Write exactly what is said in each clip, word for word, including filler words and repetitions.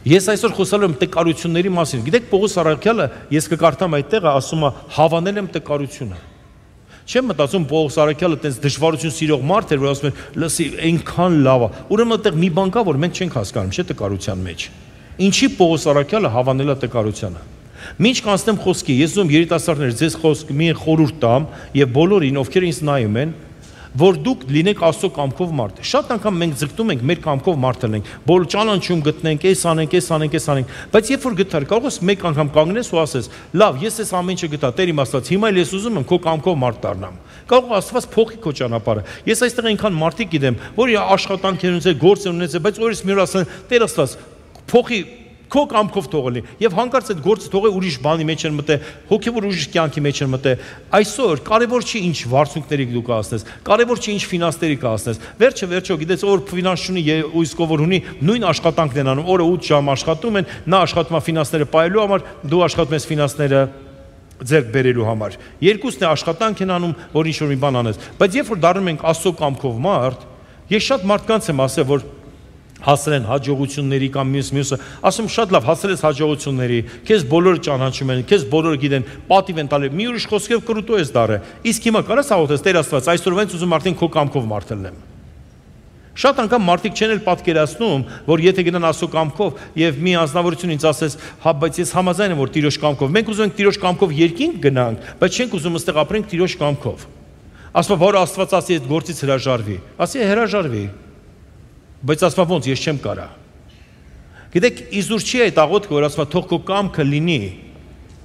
Ես այսօր խոսալու եմ տկարությունների մասին։ Գիտեք, Պողոս առաքյալը, ես կկարդամ այդ տեղը, ասում է, հավանել եմ տկարությունը։ Չեմ մտածում Պողոս առաքյալը տենց դժվարություն սիրող մարդ էր, որ ասում էր, լսի, այնքան լավ է։ Ուրեմն այդտեղ մի բան կա, որ մենք չենք հասկանում, չէ՞ տկարության մեջ։ Ինչի Պողոս առաքյալը հավանել է տկարությանը։ Մինչ կանցնեմ խոսքի, ես ուզում երիտասարդներ ձեզ խոսք մի խորհուրդ տամ եւ բոլորին, ովքեր ինձ նայում են, որ դուք լինեք Աստծո կամքով մարդ։ Շատ անգամ մենք ձգտում ենք մեր կամքով մարդ լինենք, բոլոր ճանաչում գտնենք, էս անենք, էս անենք, էս անենք, բայց երբ որ գտար, կարող ես մեկ անգամ կանգնես ու ասես, լավ, ես էս ամեն ինչը գտա, Տեր իմ Աստված, հիմա էլ ես ուզում եմ քո կամքով մարդ դառնամ։ Կարող Աստված փոխի քո ճանապարհը։ Ես այստեղ այնքան մարդիկ գիտեմ, որ աշխատանք են ունեցել, գործ են ունեցել, բայց օրից մի օր ասեն, Տեր Աստված, փոխի քո կամքով թողելի եւ հանկարծ այդ գործը թողե ուրիշ բանի մեջ են մտե, հոգեվոր ուրիշ կյանքի մեջ են մտե։ Այսօր կարևոր չի ինչ վարձունքների դու կհասնես, կարևոր չի ինչ ֆինանսների կհասնես։ Վերջը վերջո գիտես, որ ֆինանս ունի ու իսկ ով ունի, նույն աշխատանքն են անում, օրը ութ ժամ աշխատում են, նա աշխատում է ֆինանսները պահելու համար, դու աշխատում ես ֆինանսները ձեռք բերելու համար։ Երկուսն է աշխատանք են անում, որ ինչ որ մի բան անես։ Բայց երբ որ դառնում ենք Աստծո կամքով մարդ, ես շատ մարդկանց եմ ասել, որ հասել են հաջողությունների կամ մյուս մյուսը, ասում շատ լավ, հասել ես հաջողությունների, քեզ բոլորը ճանաչում են, քեզ բոլորը գիտեն, պատիվ են տալի, մի ուրիշ խոսքով կրուտո ես դարը։ Իսկ հիմա կարաս աղոթես, Տեր Աստված, այսօրվանից ուզում արդեն քո կամքով մարդ լինեմ։ Շատ անգամ մարդիկ չեն էլ պատկերացնում, որ եթե գնան Աստծո կամքով եւ մի անձնավորություն ինձ ասես, հա, բայց ես համաձայն եմ, որ Տիրոջ կամքով, մենք ուզում ենք Տիրոջ կամքով երկինք գնանք, բայց չենք ուզում այստեղ ապրենք Տիրոջ կամքով։ Ասում որ Աստված ասի այդ գործից հրաժարվի, ասի հրաժարվի։ Բայց ասում ոնց ես չեմ կարա։ Գիտեք, իզուր չի այդ աղոթքը, որ ասում թող քո կամքը լինի,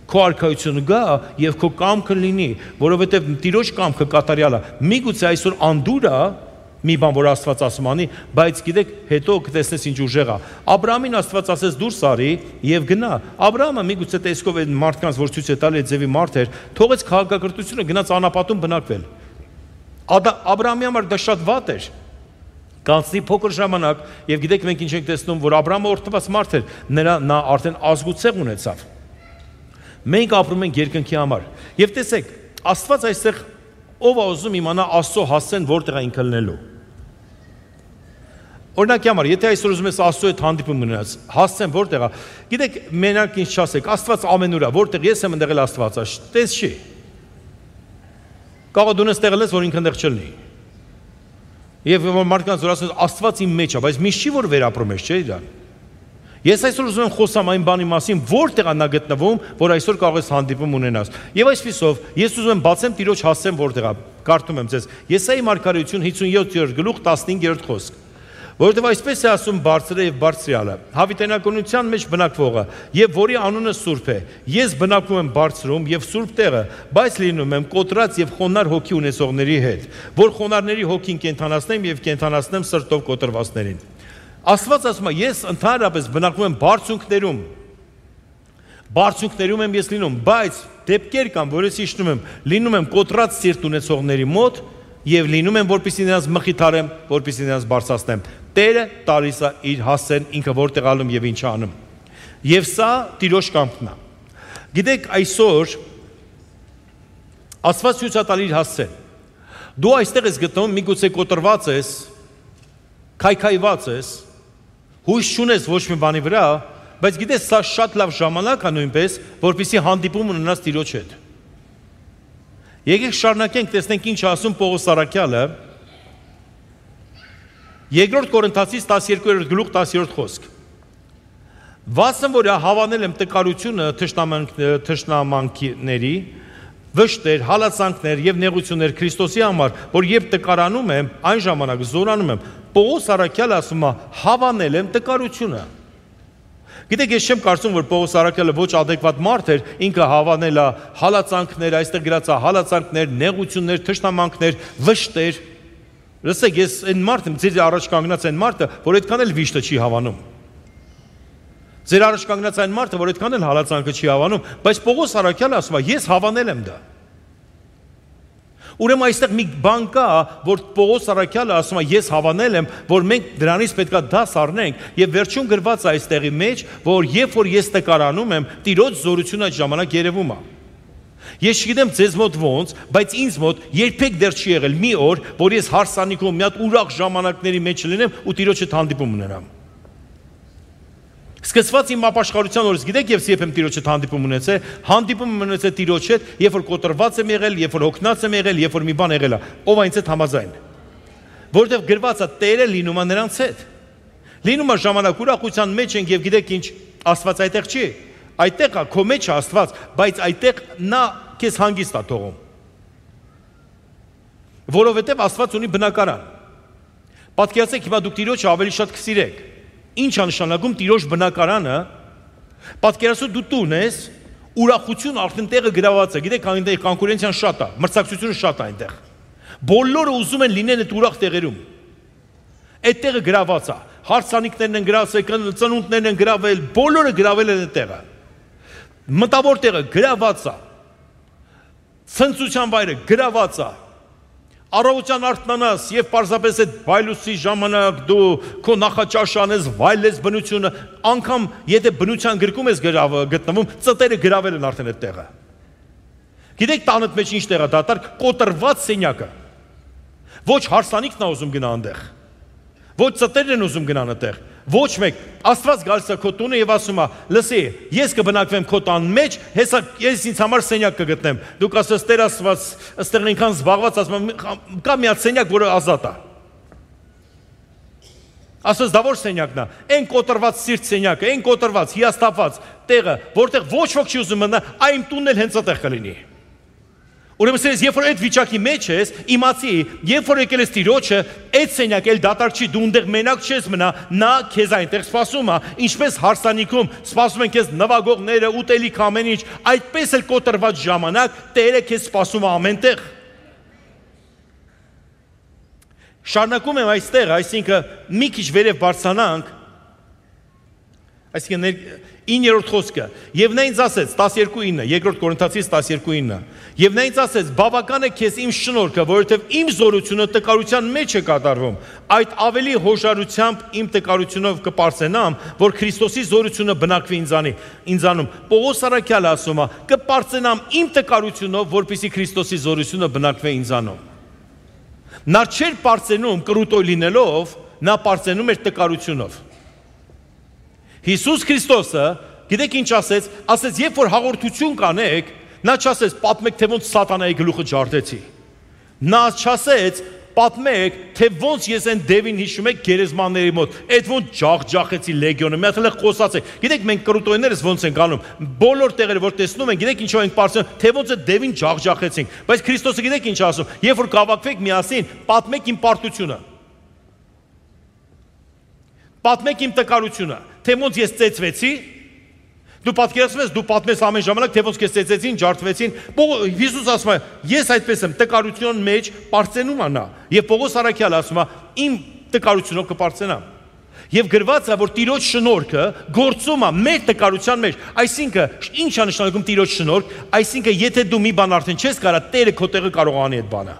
քո արքայությունը գա եւ քո կամքը լինի, որովհետեւ Տիրոջ կամքը կատարյալ է։ Միգուցե այսօր անդուր է մի բան, որ Աստված ասում անի, բայց գիտեք, հետո կտեսնես ինչ ուժեղ է։ Աբրահամին Աստված ասեց դուրս արի եւ գնա։ Աբրահամը միգուցե տեսքով այդ մարդկանց, որ ցույց է տալի այդ ձևի մարդ էր, թողեց քաղաքակրթությունը գնաց անապատում բնակվել։ Աբրահամի համար դա շատ վատ էր։ Կանցնի փոքր ժամանակ եւ գիտեք մենք ինչ ենք տեսնում, որ Աբրահամը օրհնված մարդ էր, նրա նա արդեն ազգուցեղ ունեցավ։ Մենք ապրում ենք երկնքի համար։ Եվ տեսեք, Աստված այստեղ ով է ուզում իմանա Աստծո հասցեն որտեղ է ինքը լինելու։ Օրինակի համար, եթե այսօր ուզում ես Աստծո հետ հանդիպում ունենաս, հասցեն որտեղ է։ Գիտեք, մենակ ինչ չասեք, Աստված ամենուր է, որտեղ ես եմ ընդեղել Աստված է, տես չի։ Կարող դու նստեղել ես, որ ինքն ընդեղ չլինի։ Եվ մարդկանց որ ասում Աստված իմ մեջ է, բայց միշտ չի որ վերապրում ես, չէ՞ իրան։ Ես այսօր ուզում եմ խոսամ այն բանի մասին, որտեղ է նա գտնվում, որ այսօր կարող ես հանդիպում ունենաս։ Եվ այսպիսով, ես ուզում եմ բացեմ Տիրոջ հասցեմ որտեղ է։ Կարդում եմ ձեզ։ Եսայի մարգարեություն հիսունյոթերորդ գլուխ տասնհինգերորդ խոսք։ Որովհետև այսպես է ասում Բարձրը եւ Բարձրյալը, հավիտենականության մեջ բնակվողը, եւ որի անունը Սուրբ է։ Ես բնակվում եմ բարձրում եւ սուրբ տեղը, բայց լինում եմ կոտրած եւ խոնար հոգի ունեցողների հետ, որ խոնարհների հոգին կենթանացնեմ եւ կենթանացնեմ սրտով կոտրվածներին։ Աստված ասում է, ես ընդհանրապես բնակվում եմ բարձունքներում։ Բարձունքներում եմ ես լինում, բայց դեպքեր կան, որ ես իջնում եմ, լինում եմ կոտրած սիրտ ունեցողների մոտ եւ լինում եմ, որպեսզի նրանց մխիթարեմ, որպեսզի նրանց բարձրացնեմ։ Տերը տալիս է իր հասցեն, ինքը որտեղ ալում եւ ինչ անում։ Եվ սա Տիրոջ կամքն է։ Գիտեք, այսօր Աստված ցույց է տալի իր հասցեն։ Դու այստեղ ես գտնվում, միգուցե կոտրված ես, քայքայված ես, հույս չունես ոչ մի բանի վրա, բայց գիտես, սա շատ լավ ժամանակ է նույնպես, որպեսզի հանդիպում ունենաս Տիրոջ հետ։ Եկեք շարունակենք, տեսնենք ինչ ասում Պողոս առաքյալը։ Երկրորդ Կորինթացիս տասներկուերորդ գլուխ տասերորդ խոսք։ Վասն որ հավանել եմ տկարությունը թշնամանքների, վշտեր, հալածանքներ եւ նեղություններ Քրիստոսի համար, որ երբ տկարանում եմ, այն ժամանակ զորանում եմ։ Պողոս առաքյալը ասում է, հավանել եմ տկարությունը։ Գիտեք, ես չեմ կարծում, որ Պողոս առաքյալը ոչ ադեկվատ մարդ էր, ինքը հավանել է հալածանքներ, այստեղ գրած է հալածանքներ, նեղություններ, թշնամանքներ, վշտեր։ Լսեք, ես այն մարդը, ձեր առաջ կանգնած այն մարդը, որ այդքան էլ վիշտը չի հավանում։ Ձեր առաջ կանգնած այն մարդը, որ այդքան էլ հալածանքը չի հավանում, բայց Պողոս առաքյալը ասում է, ես հավանել եմ դա։ Ուրեմն այստեղ մի բան կա, որ Պողոս առաքյալը ասում է, ես հավանել եմ, որ մենք դրանից պետք է դաս առնենք, եւ վերջում գրված է այստեղի մեջ, որ երբ որ ես տկարանում եմ, Տիրոջ զորությունը այդ ժամանակ երևում է։ Ես չգիտեմ ձեզ մոտ ոնց, բայց ինձ մոտ երբեք դեռ չի եղել մի օր, որ ես հարսանիքում մի հատ ուրախ ժամանակների մեջ լինեմ ու Տիրոջ հետ հանդիպում ունենամ։ Սկսված իմ ապաշխարության օրից, գիտեք, ես երբ եմ Տիրոջ հետ հանդիպում ունեցել, հանդիպում եմ ունեցել Տիրոջ հետ, երբ որ կոտրված եմ եղել, երբ որ հոգնած եմ եղել, երբ որ մի բան եղել է, ով այնց հետ համաձայն։ Որովհետև գրված է Տերը լինում է նրանց հետ։ Լինում է ժամանակ ուրախության մեջ ենք եւ գիտեք ինչ, Աստված այդտեղ չի։ Այդտեղ է քո մեջ է Աստված, բայց այդտեղ նա քեզ հանգիստ է թողում։ Որովհետև Աստված ունի բնակարան։ Պատկերացեք, հիմա դուք Տիրոջը ավելի շատ կսիրեք։ Ինչ է նշանակում Տիրոջ բնակարանը։ Պատկերացու դու տուն ես, ուրախություն արդեն տեղը գրաված է, գիտեք, այնտեղ կոնկուրենցիան շատ է, մրցակցությունը շատ է այնտեղ։ Բոլորը ուզում են լինեն այդ ուրախ տեղերում։ Այդ տեղը գրաված է, հարսանիքներն են գրավել, ծնունդներն են գրավել, բոլորը գրավել են այդ տեղը։ Մտավոր տեղը գրաված է։ Ցնծության վայրը գրաված է։ Առավոտյան արթնանաս եւ պարզապես այդ վայլուսի ժամանակ դու քո նախաճաշ անես, վայլես բնությունը, անգամ եթե բնության գրկում ես գտնվում, ծտերը գրավել են արդեն այդ տեղը։ Գիտեք տանդ մեջ ինչ տեղ է դատարկ, կոտրված սենյակը։ Ոչ հարսանիքն է ուզում գնա այնտեղ։ Ոչ ծտերն են ուզում գնան այդտեղ։ Ոչ մեկ, Աստված գալիս է քո տունը եւ ասում է, լսի, ես կբնակվեմ քո տան մեջ, հեսա ես ինձ համար սենյակ կգտնեմ։ Դուք ասես Տեր Աստված, ըստեղ ինքան զբաղված, ասում կա մի հատ սենյակ, որը ազատ է։ Ասես դա որ սենյակն է։ Այն կոտրված սիրտ սենյակը, այն կոտրված, հիասթափված տեղը, որտեղ ոչ ոք չի ուզում մնա, այ իմ տունն էլ հենց այդտեղ կլինի։ Ուրեմն ես երբ որ այդ վիճակի մեջ ես, իմացի, երբ որ եկել ես Տիրոջը, այդ սենյակը էլ դատարկ չի, դու այնտեղ մենակ չես մնա, նա քեզ այնտեղ սպասում է, ինչպես հարսանիքում սպասում են քեզ նվագողները, ուտելիք ամեն ինչ, այդպես էլ կոտրված ժամանակ Տերը քեզ սպասում է ամենտեղ։ Շարունակում եմ այստեղ, այսինքն մի քիչ վերև բարձրանանք, այսինքն իններորդ խոսքը, եւ նա ինձ ասեց տասներկու ինը, երկրորդ Կորինթացիս տասներկու ինը, եւ նա ինձ ասեց բավական է քեզ իմ շնորհքը, որովհետեւ իմ զորությունը տկարության մեջ է կատարվում, այդ ավելի հոժարությամբ իմ տկարությունով կպարծենամ, որ Քրիստոսի զորությունը բնակվի ինձանի, ինձանում։ Պողոս առաքյալը ասում է, կպարծենամ իմ տկարությունով, որպեսզի Քրիստոսի զորությունը բնակվի ինձանում։ Նա չէր պարծենում կրուտոյ լինելով, նա պարծենում էր տկարությունով։ Հիսուս Քրիստոսը, գիտեք ինչ ասեց, ասեց, երբ որ հաղորդություն կանեք, նա չասեց, պատմեք, թե ոնց սատանայի գլուխը ջարդեցի։ Նա չասեց, պատմեք, թե ոնց ես այն դևին հիշում եք գերեզմանների մոտ, այդ ոնց ջախջախեցի լեգիոնը, մի հատ էլ խոսացեք։ Գիտեք մենք կրուտոյներս ոնց ենք անում, բոլոր տեղերը որ տեսնում ենք, գիտեք ինչով ենք պարզում, թե ոնց է դևին ջախջախեցինք։ Բայց Քրիստոսը գիտեք ինչ ասում, երբ որ կավակվեք միասին, պատմեք իմ պարտությունը։ Պատմեք իմ տկարությունը, թե ոնց ես ծեծվեցի, դու պատկերացնում ես, դու պատմես ամեն ժամանակ, թե ոնց քեզ ծեծեցին, ջարդվեցին։ Հիսուս ասում է, ես այդպես եմ, տկարության մեջ պարծենում է նա։ Եվ Պողոս առաքյալը ասում է, իմ տկարությունով կպարծենամ։ Եվ գրված է, որ Տիրոջ շնորհքը գործում է մեր տկարության մեջ։ Այսինքն, ինչ է նշանակում Տիրոջ շնորհք, այսինքն, եթե դու մի բան արդեն չես կարող, Տերը քո տեղը կարող անի այդ բանը։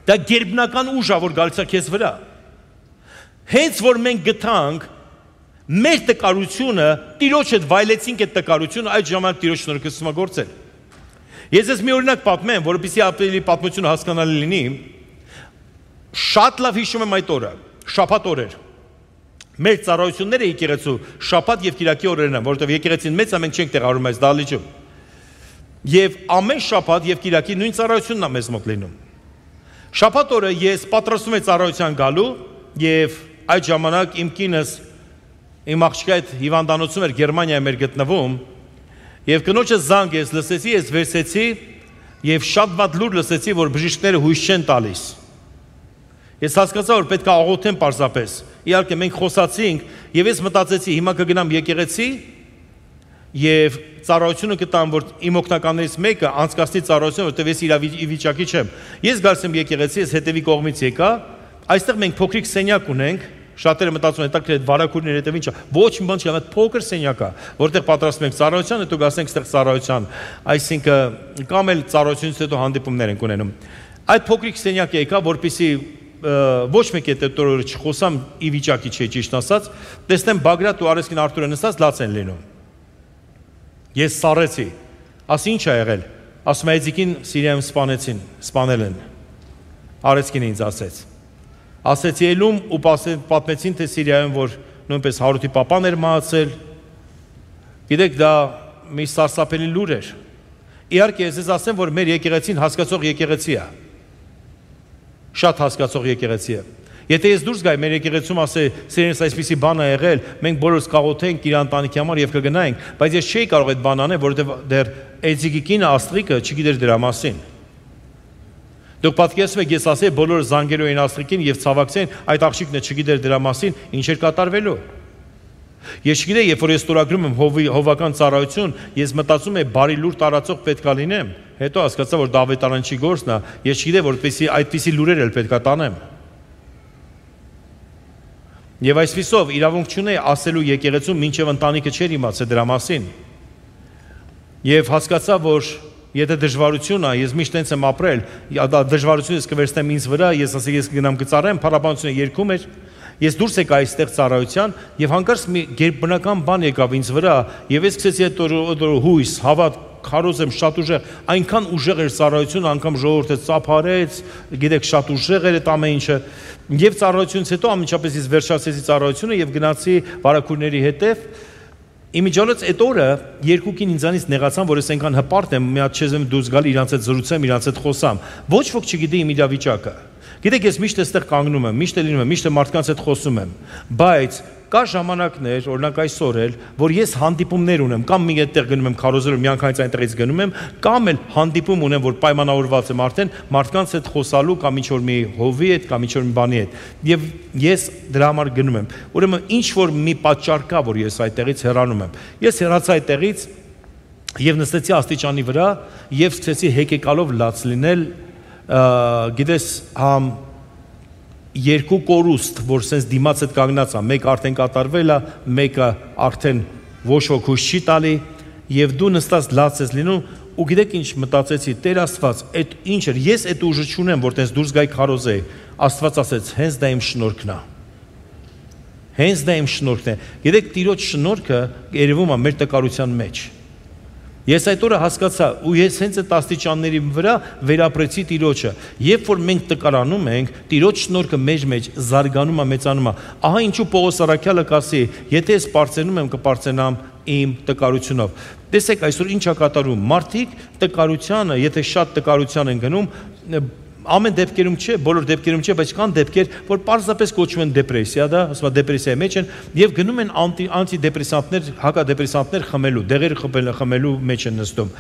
Դա գերբնական ուժ է, որ գալիս է քեզ վրա։ Հենց որ մենք գտանք մեր տկարությունը, Տիրոջ հետ վայելեցինք այդ տկարությունը, այդ ժամանակ Տիրոջ շնորհքը սկսում է գործել։ Ես ես մի օրինակ պատմեմ, որովհետեւ ավելի պատմությունը հասկանալի լինի։ Շատ լավ հիշում եմ այդ օրը, շաբաթ օր էր։ Մեր ծառայությունները եկեղեցու շաբաթ եւ կիրակի օրերն են, որովհետեւ եկեղեցին մեծ է, մենք չենք տեղավորում այս դահլիճում։ Եվ ամեն շաբաթ եւ կիրակի նույն ծառայությունն է մեզ մոտ լինում։ Շաբաթ օրը ես պատրաստում եմ ծառայության գալու եւ այդ ժամանակ իմ կինս իմ աղջիկը այդ հիվանդանոցում էր, Գերմանիայում էր գտնվում, եւ կնոջը զանգ ես լսեցի, ես վերցեցի եւ շատ վատ լուր լսեցի, որ բժիշկները հույս չեն տալիս։ Ես հասկացա, որ պետք է աղոթեմ պարզապես։ Իհարկե մենք խոսացինք եւ ես մտածեցի, հիմա կգնամ եկեղեցի եւ ծառայությունը կտամ, որ իմ օգնականներից մեկը անցկացնի ծառայությունը, որտեղ ես իր վիճակի չեմ։ Ես գալիս եմ եկեղեցի, ես հետևի կողմից եկա, այստեղ մենք փոքրիկ սենյակ ունենք, շատերը մտածում են, այդ վարակուրների հետև ինչ է, ոչ մի բան չի, այդ փոքր սենյակ է, որտեղ պատրաստում ենք ծառայության, հետո գասենք այստեղ ծառայության, այսինքն կամ էլ ծառայությունից հետո հանդիպումներ ենք ունենում։ Այդ փոքրիկ սենյակը եկա, որպեսզի ոչ մեկ այդ օրը չխոսամ, ի վիճակի չէի ճիշտ ասած, տեսնեմ Բագրատ ու Արեսկին Արտուրը նստած լաց են լինում։ Ես սառեցի, ասի ինչ է եղել, ասում է Էձիկին Սիրիայում սպանեցին, սպանել են։ Արեսկին ինձ ասեց։ Ասեցի ելում ու պատմեցին, թե Սիրիայում որ նույնպես Հարութի պապան էր մահացել։ Գիտեք, դա մի սարսափելի լուր էր։ Իհարկե, ես ասեմ, որ մեր եկեղեցին հասկացող եկեղեցի է։ Շատ հասկացող եկեղեցի է։ Եթե ես դուրս գայի մեր եկեղեցում ասեի, սերենս այսպիսի բան է եղել, մենք բոլորս կաղոթենք իր ընտանիքի համար եւ կգնայինք, բայց ես չէի կարող այդ բան անել, որովհետեւ դեռ Էձիկի կինը Աստղիկը չգիտեր դրա մասին։ Դուք պատկերացնում եք, ես ասեի, բոլորը զանգելու էին Աստղիկին եւ ցավակցեին, այդ աղջիկն չգիտեր դրա մասին, ինչ էր կատարվելու։ Ես չգիտեի, երբ որ ես ստորագրում եմ հովական ծառայություն, ես մտածում եմ բարի լուր տարածող պետք է լինեմ։ Հետո հասկացա, որ Դավիթ Արանչի գործն է, ես չգիտեի, որպեսզի այդպիսի լուրեր էլ պետք է տանեմ։ Եվ այսպիսով իրավունք չունեի ասելու եկեղեցում, մինչև ընտանիքը չէր իմացել դրա մասին։ Եվ հասկացա, որ եթե դժվարություն է, ես միշտ տենց եմ ապրել, դժվարությունը ես կվերցնեմ ինձ վրա, ես ասեմ, ես կգնամ կծառայեմ, փառաբանությունը երգում էր, ես դուրս եկա այստեղ ծառայության, եւ հանկարծ մի գերբնական բան եկավ ինձ վրա, եւ ես սկսեցի այդ հույս, հավատ, քարոզ եմ շատ ուժեղ, այնքան ուժեղ էր ծառայությունը, անգամ ժողովուրդը ծափարեց, գիտեք, շատ ուժեղ էր այդ ամեն ինչը։ Եվ ծառայությունից հետո ամենջապես ես վերջացրեցի ծառայությունը եւ գնացի վարակուրների հետև։ Իմիջիալից այդ օրը երկուքին ինձանից նեղացան, որ ես այնքան հպարտ եմ, մի հատ չեզեմ դուրս գալ իրանց հետ զրուցեմ, իրանց հետ խոսամ։ Ոչ ոք չգիտի իմ իրավիճակը։ Գիտեք, ես միշտ այստեղ կանգնում եմ, միշտ լինում եմ, միշտ մարդկանց հետ խոսում եմ, բայց կա ժամանակներ, օրինակ այսօր էլ, որ ես հանդիպումներ ունեմ, կամ մի այդտեղ գնում եմ քարոզելու, միանգամից այնտեղից գնում եմ, կամ էլ հանդիպում ունեմ, որ պայմանավորված եմ արդեն մարդկանց հետ խոսալու կամ ինչ որ մի հովի հետ, կամ ինչ որ մի բանի հետ։ Եվ ես դրա համար գնում եմ։ Ուրեմն ինչ որ մի պատճառ կա, որ ես այդտեղից հեռանում եմ։ Ես հեռացա այդտեղից եւ նստեցի աստիճանի վրա եւ սկսեցի հեկեկալով լաց լինել, գիտես, համ երկու կորուստ, որ սենց դիմաց հետ կանգնած է, մեկ արդեն կատարվել է, մեկը արդեն ոչ ոք հույս չի տալի, եւ դու նստած լաց ես լինում, ու գիտեք ինչ մտածեցի, Տեր Աստված, այդ ինչ էր, ես այդ ուժը չունեմ, որ տես դուրս գայի քարոզեի, Աստված ասեց, հենց դա իմ շնորհքն է։ Հենց դա իմ շնորհքն է։ Գիտեք, Տիրոջ շնորհքը երևում է մեր տկարության մեջ։ Ես այդ օրը հասկացա, ու ես հենց այդ աստիճանների վրա վերապրեցի Տիրոջը։ Երբ որ մենք տկարանում ենք, Տիրոջ շնորհքը մեր մեջ զարգանում է, մեծանում է։ Ահա ինչու Պողոս Առաքյալը կասի, եթե ես պարծենում եմ, կպարծենամ իմ տկարությունով։ Տեսեք, այսօր ինչ է կատարում։ Մարդիկ տկարությանը, եթե շատ տկարության են գնում, ամեն դեպքերում չէ, բոլոր դեպքերում չէ, բայց կան դեպքեր, որ պարզապես կոչվում են դեպրեսիա, դա, ասում է դեպրեսիայի մեջ են, եւ գնում են անտիդեպրեսանտներ, հակադեպրեսանտներ խմելու, դեղեր խմելու մեջ են նստում։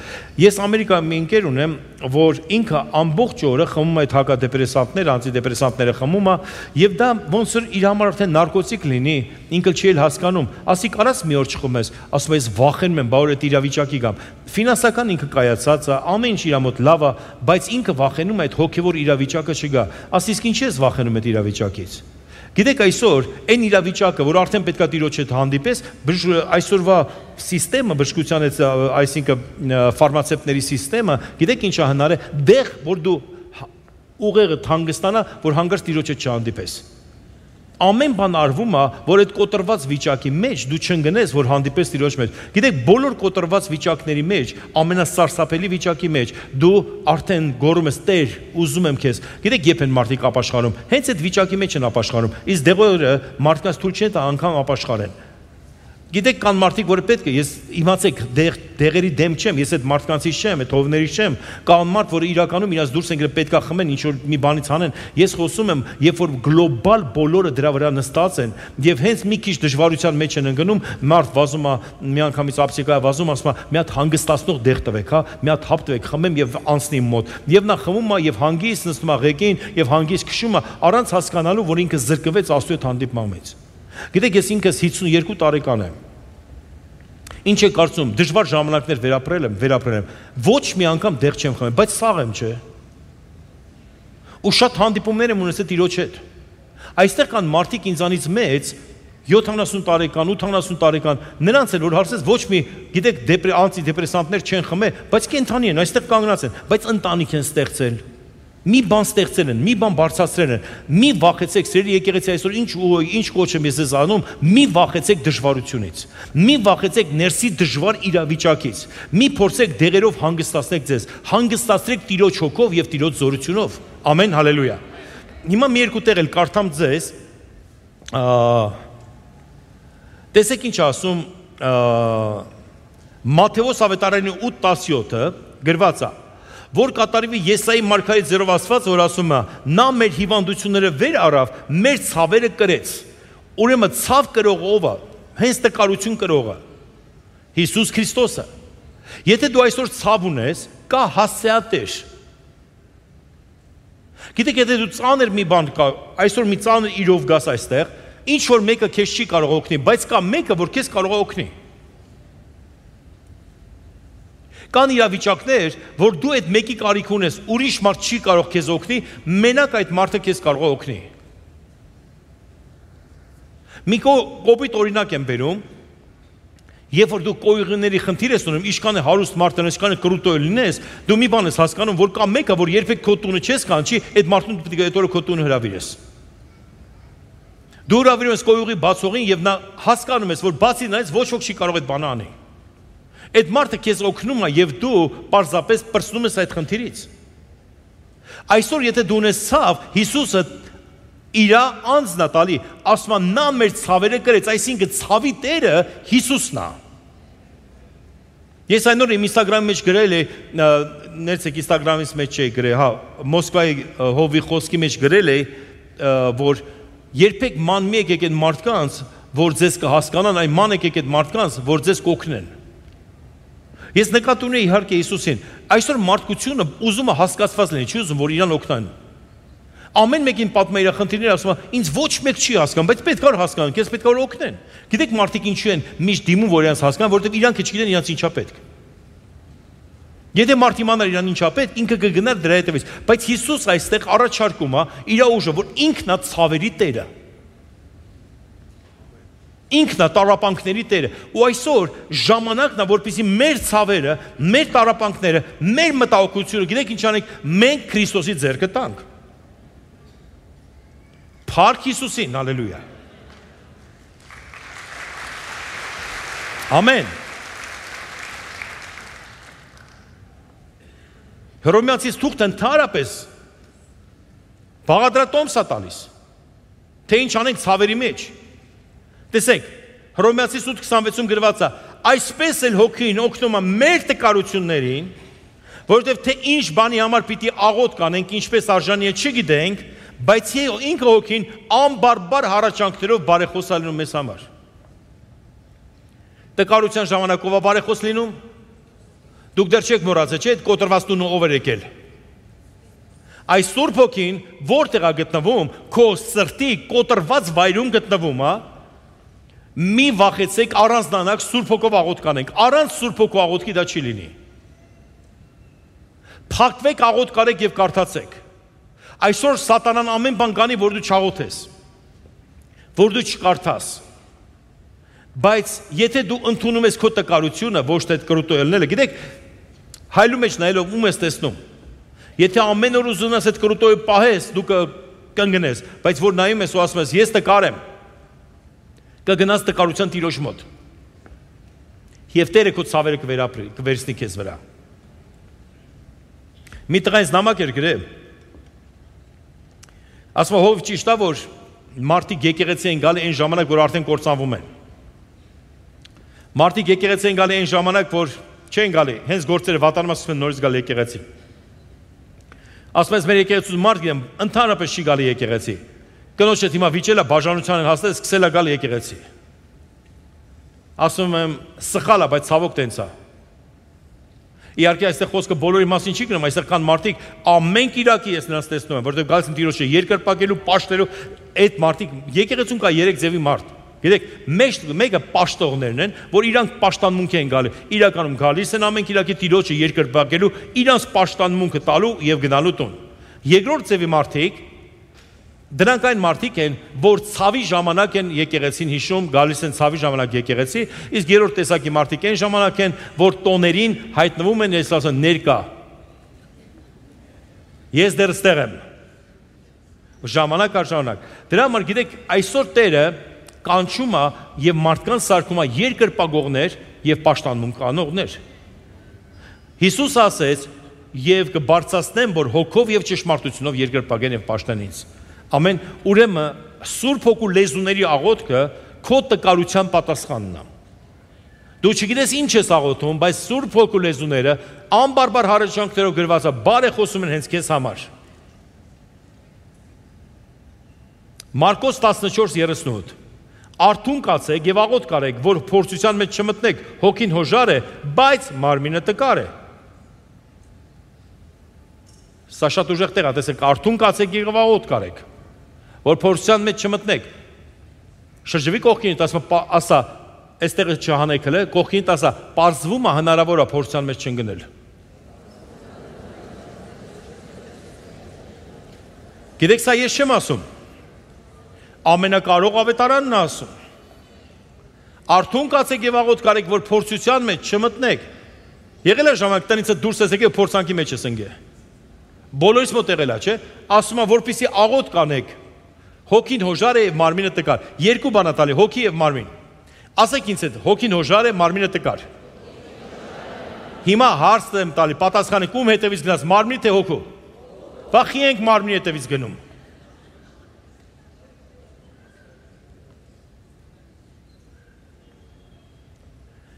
Ես Ամերիկայում մի ընկեր ունեմ, որ ինքը ամբողջ օրը խմում է այդ հակադեպրեսանտները, անտիդեպրեսանտները խմում է, եւ դա ոնց որ իր համար արդեն նարկոտիկ լինի, ինքը չի էլ հասկանում, ասի կարաս մի օր չխմես, ասում է ես վախենում եմ, բա որ այդ իրավիճակի գամ։ Ֆինանսական ինքը կայացած է, ամեն ինչ իր մոտ լավ է, բայց ինքը վախենում է այդ հոգեվոր իրավիճակը չգա։ Ասի իսկ ինչ ես վախենում այդ իրավիճակից։ Գիտեք, այսօր այն իրավիճակը, որ արդեն պետքա Տիրոջ հետ հանդիպես, այսօրվա սիստեմը, բժշկության հետ, այսինքն ֆարմացևտների սիստեմը, գիտեք ինչ է հնար է, դեղ, որ դու ուղեղը հանգստանա, որ հանգարց Տիրոջ հետ չհանդիպես։ Ամեն բան արվում է, որ այդ կոտրված վիճակի մեջ դու չընկնես, որ հանդիպես Տիրոջ մեջ։ Գիտեք, բոլոր կոտրված վիճակների մեջ, ամենասարսափելի վիճակի մեջ, դու արդեն գոռում ես, Տեր, ուզում եմ քեզ։ Գիտեք, երբ են մարդիկ ապաշխարում, հենց այդ վիճակի մեջ են ապաշխարում։ Իսկ դեղերը մարդկանց թույլ չեն տա անգամ ապաշխարեն։ Գիտեք, կան մարդիկ, որ պետք է, ես իմացեք, դեղերի դեմ չեմ, ես այդ մարդկանցից չեմ, այդ հովներից չեմ, կան մարդ, որ իրականում իրաց դուրս են գալիս, պետք է խմեն, ինչ որ մի բանից անեն։ Ես խոսում եմ, երբ որ գլոբալ բոլորը դրա վրա նստած են, եւ հենց մի քիչ դժվարության մեջ են ընկնում, մարդ վազում է, միանգամից ապսիկա վազում, ասում է, մի հատ հանգստացնող դեղ տվեք, հա, մի հատ հապ տվեք, խմեմ եւ անցնի մոտ։ Եվ նա խմում է եւ հանգիստ նստում է ղեկին եւ հանգիստ քշում է, առանց հասկանալու, որ ինքը զրկվեց Աստծո հետ հանդիպմամից։ Գիտեք, ես ինքս հիսունյոթ տարեկան եմ։ Ինչ է կարծում, դժվար ժամանակներ վերապրել եմ, վերապրել եմ։ Ոչ մի անգամ դեղ չեմ խմել, բայց սաղ եմ, չէ։ Ու շատ հանդիպումներ եմ ունեցել Տիրոջ հետ։ Այստեղ կան մարդիկ ինձանից մեծ, յոթանասուն տարեկան, ութանասուն տարեկան, նրանց էլ որ հարցես ոչ մի, գիտեք, անտիդեպրեսանտներ չեն խմել, բայց կենդանի են, այստեղ կանգնած են, բայց ընտանիք են ստեղծել։ Մի բան ստեղծել են, մի բան բարձրացրել են, մի վախեցեք, սիրելի եկեղեցի այսօր ինչ ինչ կոչ եմ ես անում, մի վախեցեք դժվարությունից, մի վախեցեք ներսի դժվար իրավիճակից, մի փորձեք դեղերով հանգստացնեք ձեզ, հանգստացրեք Տիրոջ հոգով եւ Տիրոջ զորությունով, ամեն, հալելույա։ Հիմա մի երկու տեղ էլ կարդամ ձեզ, Տեսեք ինչ ասում Մատթեոս ավետարանի ութ տասնյոթը գրված է, որ կատարվի Եսայի մարգարեի ձեռով ասված, որ ասում է. նա մեր հիվանդությունները վեր առավ, մեր ցավերը կրեց։ Ուրեմն ցավ կրող ով է, հենց տկարություն կրողը Հիսուս Քրիստոսը։ Եթե դու այսօր ցավ ունես, կա հասցեատեր։ Գիտեք, եթե դու ծանր մի բան կա, այսօր մի ծանր իրով գաս այստեղ, ինչ որ մեկը քեզ չի կարող օգնի, բայց կա մեկը, որ քեզ կարող է օգնի։ Կան իրավիճակներ, որ դու այդ մեկի կարիք ունես, ուրիշ մարդ չի կարող քեզ օգնի, մենակ այդ մարդը քեզ կարող է օգնի։ Մի կոպիտ օրինակ եմ բերում, երբ որ դու կոյուղիների խնդիր ես ունում, ինչքան է հարուստ մարդը, ինչքան է կրուտոյ լինես, դու մի բան ես հասկանում, որ կա մեկը, որ երբեք քո տունը չես կանչի, այդ մարդուն պետք է այդ օրը քո տունը հրավիրես։ Դու հրավիրում ես կոյուղի բացողին եւ նա հասկանում ես, որ բացի նայից ոչ ոք չի կարող այդ բանը անել։ Այդ մարդը քեզ օգնում է եւ դու պարզապես պրծնում ես այդ խնդիրից։ Այսօր եթե դու ունես ցավ, Հիսուսը իր անձն է տալի, ասում է նա մեր ցավերը կրեց, այսինքն ցավի տերը Հիսուսն է։ Ես այն օր իմ Instagram-ի մեջ գրել էի, ներեցեք Instagram-ից մեջ չէի գրել, հա, Մոսկվայի հովի խոսքի մեջ գրել էի, որ երբեք ման մի եկեք այդ մարդկանց, որ ձեզ կհասկանան, այն ման եկեք այդ մարդկանց, որ ձեզ կօգնեն։ Ես նկատի ունեի իհարկե Հիսուսին, այսօր մարդկությունը ուզում է հասկացված լինի, չի ուզում, որ իրան օգնան։ Ամեն մեկին պատմում է իր խնդիրները, ասում է, ինձ ոչ մեկ չի հասկանում, բայց պետք է հասկանան, քեզ պետք է որ օգնեն։ Գիտեք մարդիկ ինչու են միշտ դիմում, որ իրանց հասկանան, որովհետև իրանք չգիտեն իրանց ինչա պետք։ Եթե մարդ իմանար իրան ինչա պետք, ինքը կգնար դրա հետևից, բայց Հիսուս այստեղ առաջարկում է իր ուժը, որ ինքն է ցավերի տերը։ Ինքն է տառապանքների տերը, ու այսօր ժամանակն է, որպեսզի մեր ցավերը, մեր տառապանքները, մեր մտահոգությունը, գիտեք ինչ անենք, մենք Քրիստոսի ձեռքը տանք։ Փառք Հիսուսին, հալելույա։ Ամեն։ Հռոմեացիս թուղթը ընդհանրապես բաղադրատոմս է տալիս, թե ինչ անենք ցավերի մեջ։ Տեսեք, Հռոմեացիս ութ քսանվեցում գրված է, այսպես էլ հոգին օգնում է մեր տկարություններին, որովհետև թե ինչ բանի համար պիտի աղոտ կանենք, ինչպես արժանի է չգիտենք, բայց ինքը հոգին անբարբար հառաչանքներով բարեխոս է լինում մեզ համար։ Տկարության ժամանակով է բարեխոս լինում, դուք դեռ չեք մոռացել, չէ՞, այդ կոտրված տունը ով էր եկել։ Այս Սուրբ Հոգին որտեղ է գտնվում, քո սրտի կոտրված վայրում գտնվում է, մի վախեցեք, առանձնանաք, Սուրբ Հոգով աղոթք կանենք, առանց Սուրբ Հոգու աղոթքի դա չի լինի։ Փակվեք, աղոթք արեք եւ կարդացեք։ Այսօր սատանան ամեն բան կանի, որ դու չաղոթես, որ դու չկարդաս։ Բայց եթե դու ընդունում ես քո տկարությունը, ոչ թե այդ կրուտոյելները, գիտեք, հայլու մեջ նայելով ում ես տեսնում։ Եթե ամեն օր ուզում ես այդ կրուտոյը պահես, դու կընկնես, բայց որ նայում ես ու ասում ես, ես տկար եմ, կգնաս տկարության Տիրոջ մոտ։ Եվ Տերը քո ցավերը կվերապրի, կվերցնի քեզ վրա։ Մի տղա ինձ նամակ էր գրել։ Ասում է, հով ճիշտ է, որ մարդիկ եկեղեցի են գալի այն ժամանակ, որ արդեն կործանվում են։ Մարդիկ եկեղեցի են գալի այն ժամանակ, որ չեն գալի, հենց գործերը վատանում ասում են նորից գալ եկեղեցի։ Ասում ես, մեր եկեղեցու մարդ գիտեմ, ընդհանրապես չի գալի եկեղեցի։ Կնոջը հիմա վիճել է, բաժանության են հասնել, սկսել է գալ եկեղեցի։ Ասում եմ, սխալ է, բայց ցավոք տենց է։ Իհարկե այստեղ խոսքը բոլորի մասին չի գնում, այստեղ կան մարդիկ, ամեն կիրակի ես նրանց տեսնում եմ, որովհետև գալիս են Տիրոջը երկրպագելու, պաշտելու, այդ մարդիկ, եկեղեցում կա երեք ձևի մարդ։ Գիտեք, մեկը պաշտողներն են, որ իրանք պաշտանմունք են գալի, իրականում գալիս են ամեն կիրակի Տիրոջը երկրպագելու, իրանց պաշտանմունքը տալու եւ գնալու տուն։ Երկրորդ ձևի մարդիկ դրանք այն մարդիկ են, որ ցավի ժամանակ են եկեղեցին հիշում, գալիս են ցավի ժամանակ եկեղեցի, իսկ երրորդ տեսակի մարդիկ են ժամանակ են, որ տոներին հայտնվում են, ես ասում ներկա։ Ես դեռ ստեղ եմ։ Ժամանակ առ ժամանակ։ Դրա համար գիտեք, այսօր Տերը կանչում է եւ մարդկանց սարքում է երկրպագողներ եւ պաշտանմունք անողներ։ Հիսուս ասեց, եւ կբարձրացնեմ, որ հոգով եւ ճշմարտությունով երկրպագեն եւ պաշտեն ինձ։ Ամեն, ուրեմն Սուրբ Հոգու լեզուների աղոթքը քո տկարության պատասխանն է։ Դու չգիտես ինչ ես աղոթում, բայց Սուրբ Հոգու լեզուները անբարբար հառաչանքներով գրված է, բարե խոսում են հենց քեզ համար։ Մարկոս տասնչորս երեսունութ Արթուն կացեք եւ աղոթ կարեք, որ փորձության մեջ չմտնեք, հոգին հոժար է, բայց մարմինը տկար է։ Սա շատ ուժեղ տեղ է, տեսեք, արթուն կացեք եւ աղոթ կարեք, որ փորձության մեջ չմտնեք։ Շրջվի կողքին, ասա, այստեղ չհանեք հələ, կողքին ասա, պարզվում է հնարավոր է փորձության մեջ չընկնել։ Գիտեք, սա ես չեմ ասում։ Ամենակարող ավետարանն է ասում։ Արթուն կացեք եւ աղոթ կարեք, որ փորձության մեջ չմտնեք։ Եղել է ժամանակ տնից դուրս ես եկել փորձանքի մեջ ես ընկել։ Բոլորիս մոտ եղել է, չէ՞։ Ասում է, որպեսզի աղոթ կանեք։ Հոգին հոժար է եւ մարմինը տկար։ Երկու բան է տալի, հոգի եւ մարմին։ Ասեք ինձ հետ, հոգին հոժար է, մարմինը տկար։ Հիմա հարց եմ տալի, պատասխանը ում հետևից գնաց, մարմնի թե հոգու։ Վախի ենք մարմնի հետևից գնում։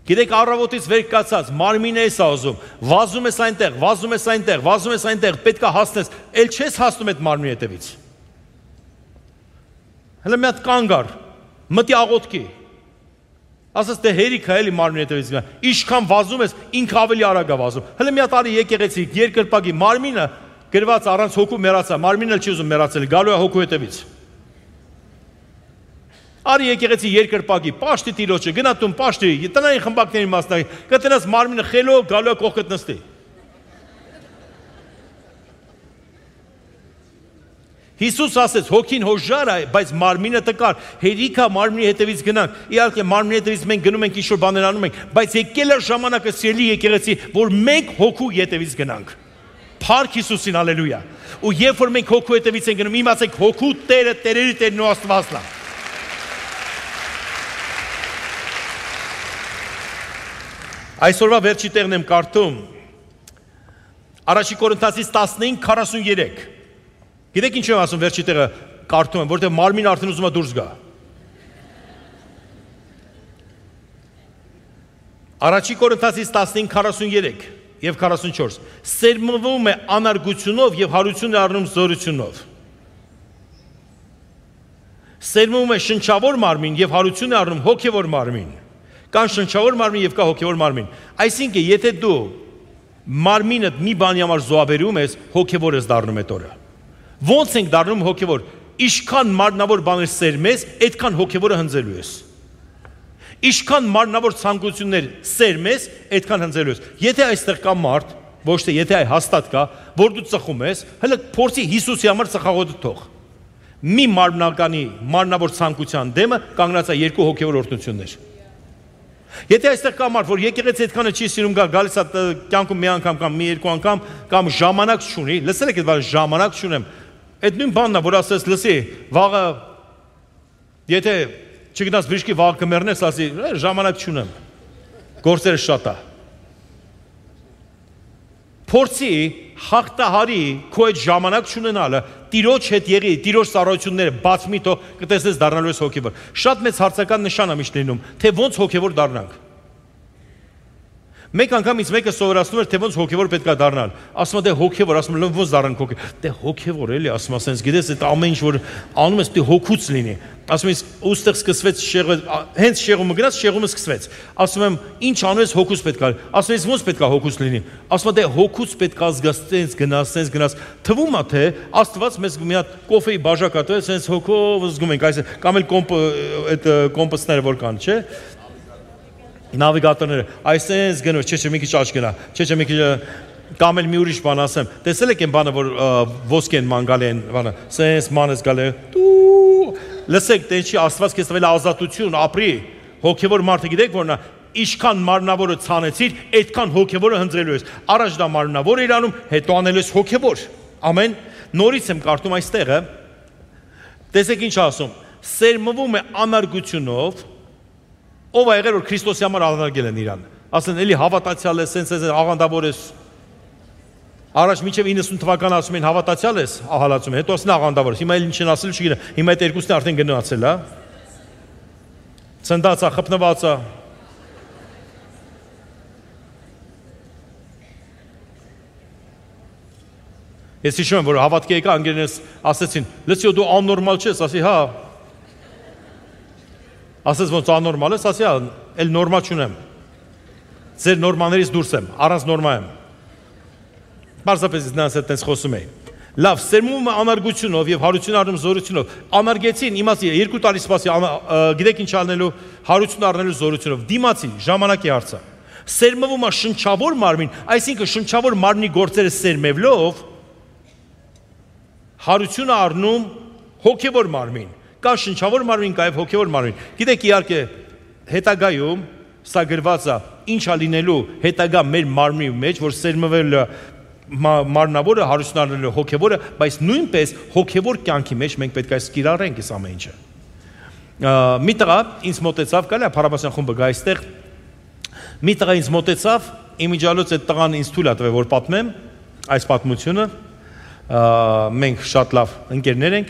Գիտեք, առավոտից վեր կացած, մարմինը ես ազում, վազում ես այնտեղ, վազում ես այնտեղ, վազում ես այնտեղ, պետք է հասնես, էլ չես հասնում այդ մարմնի հետևից։ Հələ մի հատ կանգ առ, մտի աղոթքի։ Ասես դե հերիք է էլի մարմնի հետևից գնա։ Ինչքան վազում ես, ինքը ավելի արագ է վազում։ Հələ մի հատ արի եկեղեցի, երկրպագի մարմինը գրված առանց հոգու մեռացա, մարմինը էլ չի ուզում մեռացել, գալու է հոգու հետևից։ Արի եկեղեցի երկրպագի, պաշտի տիրոջը, գնա տուն պաշտի, տնային խմբակների մասնակի, կտնաս մարմինը խելով, գալու է կողքդ նստի։ Հիսուս ասեց, հոգին հոժար է, բայց մարմինը տկար, հերիք է մարմնի հետևից գնանք, իհարկե մարմնի հետևից մենք գնում ենք ինչ-որ բաներ անում ենք, բայց եկել է ժամանակը սիրելի եկեղեցի, որ մենք հոգու հետևից գնանք։ Փառք Հիսուսին, հալելույա։ Ու երբ որ մենք հոգու հետևից ենք գնում, իմացեք հոգու Տերը, Տերերի Տերն ու Աստվածն է։ Այսօրվա վերջի տեղն եմ կարդում Առաջի Կորինթացիս տասնհինգ քառասուններեք։ Գիտեք ինչ եմ ասում վերջի տեղը կարդում եմ, որտեղ մարմինը արդեն ուզում է դուրս գա։ Առաջի Կորինթացիս տասնհինգ քառասուններեք եւ քառասունչորս սերմվում է անարգությունով եւ հարություն է առնում զորությունով։ Սերմվում է շնչավոր մարմին եւ հարություն է առնում հոգեվոր մարմին։ Կան շնչավոր մարմին եւ կա հոգեվոր մարմին։ Այսինքն, եթե դու մարմինը մի բանի համար զոհաբերում ես, հոգեվոր ես դառնում այդ օրը։ Ոնց ենք դառնում հոգեվոր։ Ինչքան մարմնավոր բաներ սերմես, այդքան հոգեվորը հնձելու ես։ Ինչքան մարմնավոր ցանկություններ սերմես, այդքան հնձելու ես։ Եթե այստեղ կա մարդ, ոչ թե եթե այ հաստատ կա, որ դու ծխում ես, հələ փորձի Հիսուսի համար ծխաղոտը թող։ Մի մարմնականի մարմնավոր ցանկության դեմը կանգնած է երկու հոգեվոր օրհնություններ։ Եթե այստեղ կա մարդ, որ եկեղեցի այդքանը չի սիրում գալ, գալիս է կյանքում մի անգամ կամ մի երկու անգամ կամ ժամանակ չունի, լսել եք այդ բանը, ժամանակ չունեմ։ Այդ նույն բանն է, որ ասես, լսի, վաղը եթե չգնաս բժշկի վաղը կմեռնես, ասի, ժամանակ չունեմ։ Գործերը շատ է։ Փորձի հաղթահարի քո այդ ժամանակ չունենալը, Տիրոջ հետ եղի, Տիրոջ ծառայությունները բաց մի թող կտեսնես դառնալու ես հոգևոր։ Շատ մեծ հարցական նշան է միշտ լինում, թե ոնց հոգևոր դառնանք։ Մեկ անգամ ինձ մեկը սովորացնում էր, թե ոնց հոգևոր պետք է դառնալ։ Ասում է դե հոգևոր, ասում եմ ոնց դառնանք հոգևոր։ Դե հոգևոր էլի, ասում եմ, ասենց գիտես, այդ ամեն ինչ որ անում ես, դե հոգուց լինի։ Ասում ես, ուստեղ սկսվեց շեղը, հենց շեղումը գնաց, շեղումը սկսվեց։ Ասում եմ, ինչ անում ես, հոգուց պետք է։ Ասում ես, ոնց պետք է հոգուց լինի։ Ասում է, դե հոգուց պետք է զգաս, ցենց գնաս, ցենց գնաս։ Թվում է թե Աստված մեզ մի հատ կոֆեի բաժակ ատել, ցենց հոգով զգում ենք, այս կամ էլ կոմպ այդ կոմպասները որ կան, չէ՞։ Նավիգատորները, այսպես գնոց, չէ, չէ, մի քիչ աճ գնա, չէ, չէ, մի քիչ կամ էլ մի ուրիշ բան ասեմ։ Տեսել եք այն բանը, որ ոսկեն ման գալի են, բանը, սենց մանես գալի։ Լսեք, դե ինչի Աստված քեզ տվել ազատություն, ապրի։ Հոգևոր մարդը գիտեք որն է, ինչքան մարմնավորը ցանեցիր, այդքան հոգևորը հնձելու ես։ Առաջ դա մարմնավոր էր անում, հետո անելու ես հոգևոր։ Ամեն։ Նորից եմ կարդում այստեղը։ Տեսեք ինչ ասում։ Սերմվում է անարգությունով, ով է եղել որ Քրիստոսի համար աղանդագել են իրան։ Ասեն էլի հավատացյալ ես, սենց ես աղանդավոր ես։ Առաջ մինչև իննսուն թվական ասում են հավատացյալ ես, ահալացում են, հետո ասեն աղանդավոր ես։ Հիմա էլ ինչ են ասել չգիտեմ։ Հիմա այդ երկուսն արդեն գնացել, հա։ Ցնդած է, խփնված է։ Ես հիշում եմ, որ հավատքի եկա անգերներս ասեցին, լսի դու աննորմալ չես, ասի հա։ Ասես ոնց աննորմալ ես, ասի հա, էլ նորմա չունեմ։ Ձեր նորմաներից դուրս եմ, առանց նորմա եմ։ Պարզապես նրանց հետ տենց խոսում էի։ Լավ, սերմում անարգությունով եւ հարություն առնում զորությունով։ Անարգեցին, իմացի երկու տարի սպասի, գիտեք ինչ անելու, հարություն առնելու զորությունով։ Դիմացի, ժամանակի հարցը։ Սերմվում է շնչավոր մարմին, այսինքն շնչավոր մարմնի գործերը սերմևլով հարություն առնում հոգևոր մարմին։ Կա շնչավոր մարմին, կա եւ հոգևոր մարմին։ Գիտեք իհարկե հետագայում սա գրված է ինչա լինելու հետագա մեր մարմնի մեջ, որ սերմվել մարմնավորը հարություն առնելու հոգևորը, բայց նույնպես հոգևոր կյանքի մեջ մենք պետք է կիրառենք այս ամեն ինչը։ Մի տղա ինձ մոտեցավ, կարելի է Փարաբասյան խումբը գա այստեղ։ Մի տղա ինձ մոտեցավ, իմիջիալոց այդ տղան ինձ թույլ է տվել, որ պատմեմ այս պատմությունը։ Մենք շատ լավ ընկերներ ենք։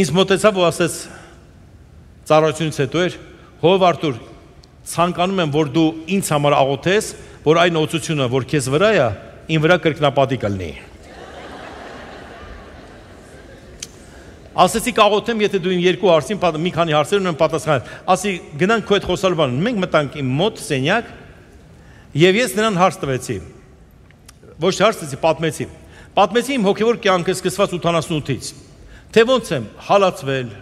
Ինձ մոտեցավ ու ասեց ծառայությունից հետո էր, հով Արտուր, ցանկանում եմ, որ դու ինձ համար աղոթես, որ այն օծությունը, որ քեզ վրա է, իմ վրա կրկնապատի կլինի։ Ասեցի կաղոթեմ, եթե դու իմ երկու հարցին, մի քանի հարցեր ունեմ պատասխանել։ Ասի գնանք քո այդ խոսալվանը, մենք մտանք իմ մոտ սենյակ, եւ ես նրան հարց տվեցի։ Ոչ հարց տվեցի, պատմեցի։ Պատմեցի իմ հոգևոր կյանքը սկսված ութանասունութից, թե ոնց եմ հալածվել,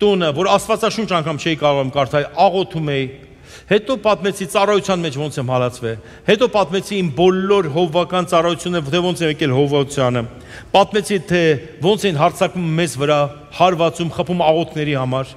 տունը, որ Աստվածաշունչ անգամ չէի կարող կարդալ, աղոթում էի, հետո պատմեցի ծառայության մեջ ոնց եմ հալածվել, հետո պատմեցի իմ բոլոր հովվական ծառայությունները, թե ոնց եմ եկել հովվությանը, պատմեցի թե ոնց են հարձակվում մեզ վրա, հարվածում, խփում աղոթքների համար,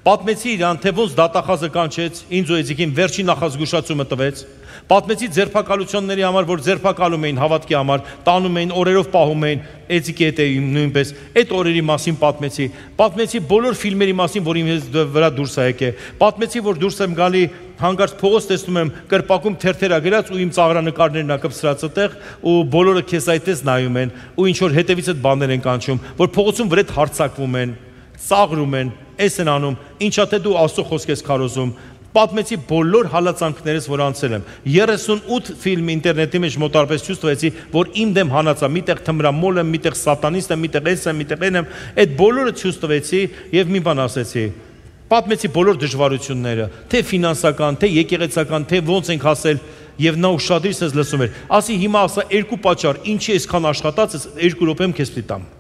պատմեցի իրան, թե ոնց դատախազը կանչեց, ինձ ու Էձիկին վերջին նախազգուշացումը տվեց, պատմեցի ձերբակալությունների համար, որ ձերբակալում էին հավատքի համար, տանում էին, օրերով պահում էին, Էձիկի հետ էի նույնպես, այդ օրերի մասին պատմեցի, պատմեցի բոլոր ֆիլմերի մասին, որ իմ վրա դուրս է եկել, պատմեցի, որ դուրս եմ գալի, հանկարծ փողոց տեսնում եմ կրպակում թերթերա գրած ու իմ ծաղրանկարներն ա կպսրած այդտեղ ու բոլորը քեզ այդպես նայում են ու ինչ որ հետևիցդ բաներ են կանչում, որ փողոցում վրեդ հարցակվում են, ծաղրում են, էս են անում, ինչա թե դու Աստծո խոսք ես քարոզում։ Պատմեցի բոլոր հալածանքներս, որ անցել եմ։ երեսունութ ֆիլմ ինտերնետի մեջ մոտարպես ճուստվեցի, որ իմ դեմ հանածա, միտեղ թմրամոլ եմ, միտեղ սատանիստ եմ, միտեղ էս եմ, միտեղ են եմ, այդ բոլորը ճուստվեցի եւ մի բան ասեցի։ Պատմեցի բոլոր դժվարությունները, թե ֆինանսական, թե եկեղեցական, թե ոնց ենք հասել եւ նա ուշադրից ես լսում էր։ Ասի հիմա ասա երկու պատճառ, ինչի այսքան աշխատած ես, երկու րոպեմ քեզ պիտի տամ։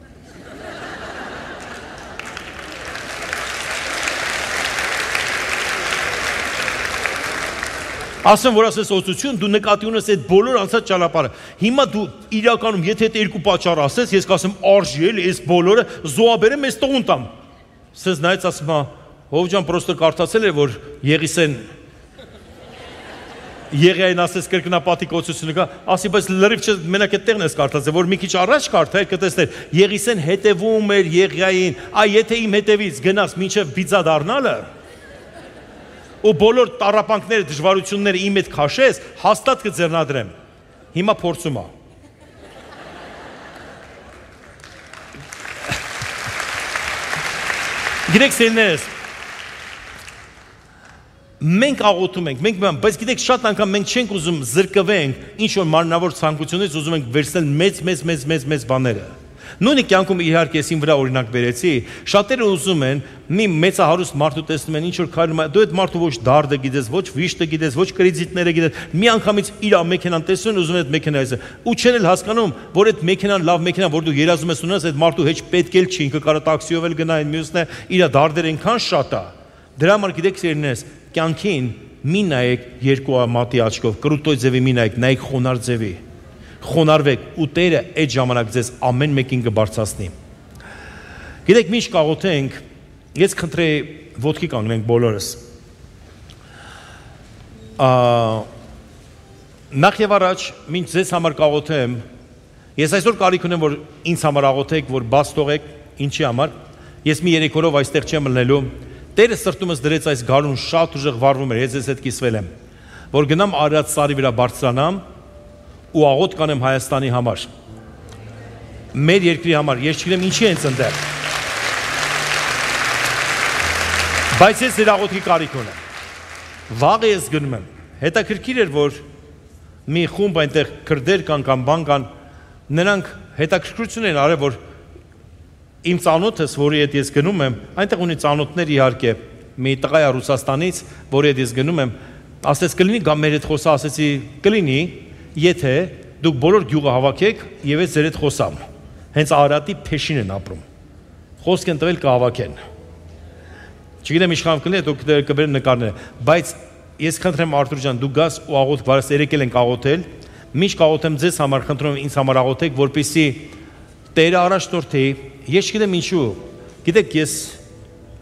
Ասեմ, որ ասես օծություն, դու նկատի ունես այդ բոլոր անցած ճանապարհը։ Հիմա դու իրականում, եթե այդ երկու պատճառ ասես, ես կասեմ արժի էլի, այս բոլորը զոհաբերեմ, ես տողուն տամ։ Սենց նայեց ասում է, հով ջան, պրոստը կարդացել էր, որ Եղիսեն Եղիային ասես կրկնապատիկ օծությունը կա, ասի, բայց լրիվ չէ, մենակ այդ տեղն ես կարդացել, որ մի քիչ առաջ կարդա, կտեսներ, Եղիսեն հետևում էր Եղիային, այ եթե իմ հետևից գնաս մինչև բիծա դառնալը ու բոլոր տառապանքները, դժվարությունները իմ հետ քաշես, հաստատ կձեռնադրեմ։ Հիմա փորձում է։ Գիտեք սերներս, մենք աղոթում ենք, մենք, բայց գիտեք շատ անգամ մենք չենք ուզում զրկվենք, ինչ որ մարմնավոր ցանկությունից ուզում ենք վերցնել մեծ, մեծ, մեծ, մեծ, մեծ բաները։ Նույնիսկ կյանքում իհարկե ես իմ վրա օրինակ բերեցի, շատերը ուզում են մի մեծահարուստ մարդու տեսնում են ինչ որ քայլում է, դու այդ մարդու ոչ դարդը գիտես, ոչ վիշտը գիտես, ոչ կրեդիտները գիտես, մի անգամից իր մեքենան տեսնում են, ուզում են այդ մեքենայը, ու չեն էլ հասկանում, որ այդ մեքենան լավ մեքենա, որ դու երազում ես ունենաս, այդ մարդու հետ պետք էլ չի, ինքը կարող տաքսիով էլ գնա, այն մյուսն է, իր դարդերը այնքան շատ է։ Դրա համար գիտեք սերնես, կյանքին մի նայեք երկու մատի աչքով, կրուտոյ ձևի մի նայեք, նայեք խոնար ձևի։ Խոնարհվեք ու Տերը այդ ժամանակ ձեզ ամեն մեկին կբարձրացնի։ Գիտեք, ինչ կաղոթենք, ես խնդրեի ոտքի կանգնենք բոլորս։ Նախ եւ առաջ, մինչ ձեզ համար կաղոթեմ, ես այսօր կարիք ունեմ, որ ինձ համար աղոթեք, որ բաց թողեք, ինչի համար։ Ես մի երեք օրով այստեղ չեմ մնալու։ Տերը սրտումս դրեց այս գարուն շատ ուժեղ վառվում էր, ես ես հետ կիսվել եմ, որ գնամ Արարատ սարի վրա բարձրանամ ու աղոթ կանեմ Հայաստանի համար, մեր երկրի համար, ես չգիտեմ ինչի են ընդդեմ, Բայց ես իր աղոթքի կարիք ունեմ։ Վաղը ես գնում եմ։ Հետաքրքիր էր, որ մի խումբ այնտեղ քրդեր կան կամ բան կան, նրանք հետաքրքրություն են արել, որ իմ ծանոթս, որի հետ ես գնում եմ, այնտեղ ունի ծանոթներ իհարկե, մի տղա է Ռուսաստանից, որի հետ ես գնում եմ, ասեց կլինի գամ մեր հետ խոսա, ասեցի կլինի, եթե դուք բոլոր գյուղը հավաքեք եւ ես ձեր հետ խոսամ։ Հենց Արարատի Փեշին են ապրում։ Խոսք են տվել կհավաքեն։ Չգիտեմ իշխան կլինի, դուք կբերեն նկարները, բայց ես խնդրեմ Արթուր ջան, դու գաս ու աղոթք, վարս երեկել ենք աղոթել, միշտ աղոթեմ ձեզ համար, խնդրում եմ ինձ համար աղոթեք, որպեսզի Տերը առաջնորդի, ես չգիտեմ ինչու, գիտեք ես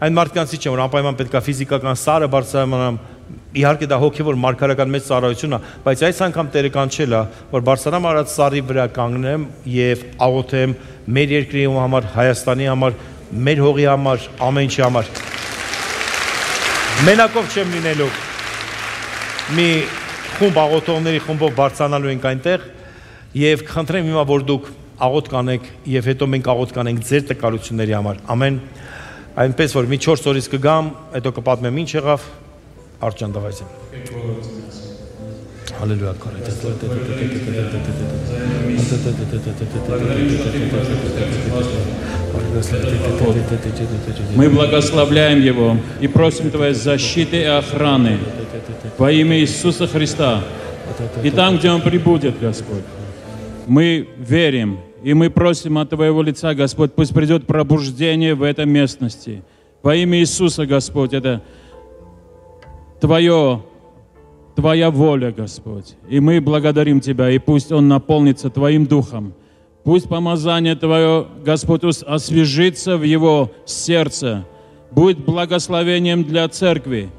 այն մարդկանցից չեմ, որ անպայման պետք է ֆիզիկական սարը բարձրանամ, իհարկե դա հոգևոր մարգարական մեծ ծառայություն է, բայց այս անգամ Տերը կանչել է, որ բարձրանամ արած սարի վրա կանգնեմ եւ աղոթեմ մեր երկրի համար, Հայաստանի համար, մեր հողի համար, ամեն ինչի համար։ Մենակով չեմ լինելու։ Մի խումբ աղոթողների խումբով բարձրանալու ենք այնտեղ եւ խնդրեմ հիմա որ դուք աղոթք անեք եւ հետո մենք աղոթք անենք ձեր տկարությունների համար։ Ամեն։ Այնպես որ մի չորս օրից կգամ, հետո կպատմեմ ինչ եղավ, Արճան դավայցեմ։ Հալելույա Мы благословляем его и просим Твоей защиты и охраны во имя Иисуса Христа. И там, где Он прибудет, Господь, мы верим. И мы просим от Твоего лица, Господь, пусть придет пробуждение в этой местности. Во имя Иисуса, Господь, это Твое, Твоя воля, Господь. И мы благодарим Тебя, и пусть Он наполнится Твоим Духом. Пусть помазание Твое, Господь, освежится в его сердце, будет благословением для церкви.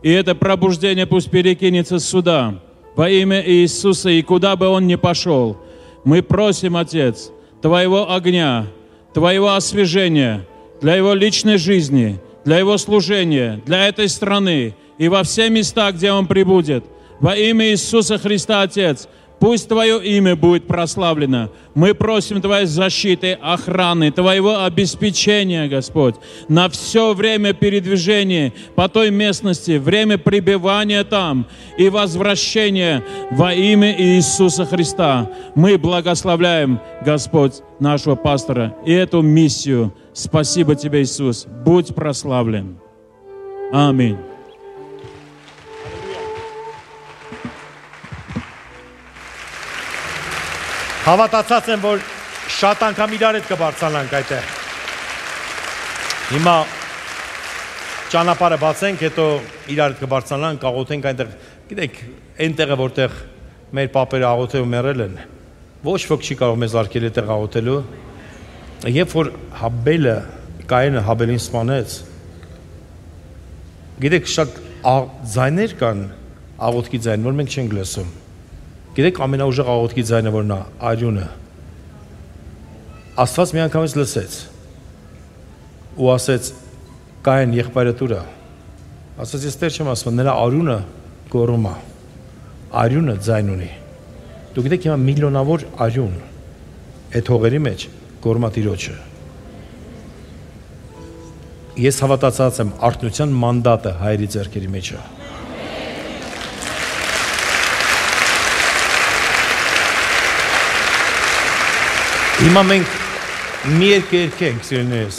И это пробуждение пусть перекинется сюда, во имя Иисуса, и куда бы он ни пошел. Мы просим, Отец, Твоего огня, Твоего освежения для его личной жизни, для его служения, для этой страны и во все места, где он прибудет. Во имя Иисуса Христа, Отец, пусть Твое имя будет прославлено. Мы просим Твоей защиты, охраны, Твоего обеспечения, Господь, на все время передвижения по той местности, время пребывания там и возвращения во имя Иисуса Христа. Мы благословляем, Господь, нашего пастора и эту миссию. Спасибо Тебе, Иисус. Будь прославлен. Аминь. Հավատացած եմ, որ շատ անգամ իրար հետ կբարձրանանք այդտեղ։ Հիմա ճանապարհը բացենք, հետո իրար հետ կբարձրանանք, աղոթենք այնտեղ։ Գիտեք, այնտեղը որտեղ մեր պապերը աղոթել ու մեռել են, ոչ ոք չի կարող մեզ արգել այդտեղ աղոթելու։ Երբ որ Հաբելը, Կայենը Հաբելին սպանեց, գիտեք, շատ ձայներ կան, աղոթքի ձայն, որ մենք չենք լսում։ Գիտեք ամենաուժեղ աղոթքի ձայնը որն է, արյունը։ Աստված մի անգամից լսեց ու ասեց Կայեն եղբայրդ ուր է։ Ասաց ես Տեր չեմ ասում, նրա արյունը գոռում է։ Արյունը ձայն ունի։ Դուք գիտեք հիմա միլիոնավոր արյուն այդ հողերի մեջ գոռում է Տիրոջը։ Ես հավատացած եմ արթնության մանդատը հայերի ձեռքերի մեջ է։ Հիմա մենք մի երկ երկենք, սիրելիներս,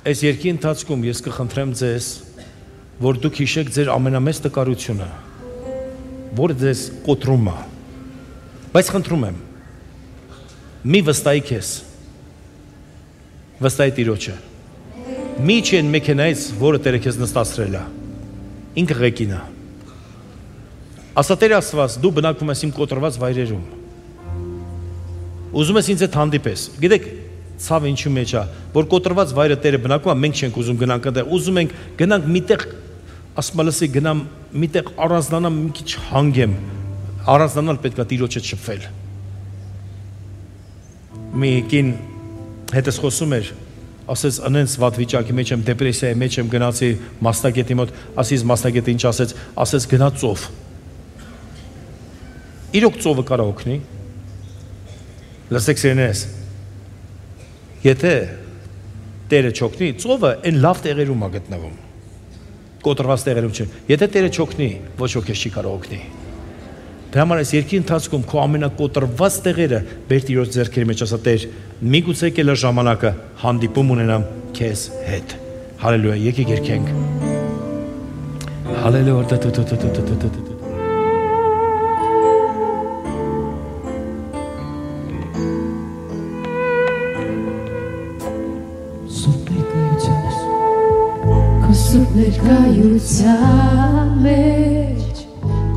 այս երկի ընթացքում ես կխնդրեմ ձեզ, որ դուք հիշեք ձեր ամենամեծ տկարությունը, որը ձեզ կոտրում է, բայց խնդրում եմ, մի վստահի քեզ, վստահի Տիրոջը, մի չի են մեքենայից, որը Տերը քեզ նստացրել է, ինքը ղեկին է, ասա Տեր Աստված, դու բնակվում ես իմ կոտրված վայրերում, ուզում ես ինձ հետ հանդիպես, գիտեք, ցավ ինչու մեջ է, որ կոտրված վայրը Տերը բնակում է, մենք չենք ուզում գնանք այնտեղ, ուզում ենք գնանք միտեղ, ասում լսի գնամ միտեղ առանձնանամ, մի քիչ հանգեմ, առանձնանալ պետք է Տիրոջը շփվել։ Մի կին հետս խոսում էր, ասեց անենց վատ վիճակի մեջ եմ, դեպրեսիայի մեջ եմ, գնացի մասնագետի մոտ, ասից մասնագետը ինչ ասեց, ասեց գնա ծով։ Իրոք ծովը կարա օգնի։ Լսեք սիրելիներս, եթե Տերը չօգնի, ծովը այն լավ տեղերում է գտնվում։ կոտրված տեղերում չէ։ Եթե Տերը չօգնի, ոչ ոք քեզ չի կարող օգնի։ Դրա համար այս երկի ընթացքում քո ամենակոտրված տեղերը բեր Տիրոջ ձեռքերի մեջ, ասա Տեր, միգուցե եկել է ժամանակը հանդիպում ունենամ քեզ հետ։ Հալելույա, եկեք երգենք։ Հալելույա։ Սուրբ ներկայության մեջ,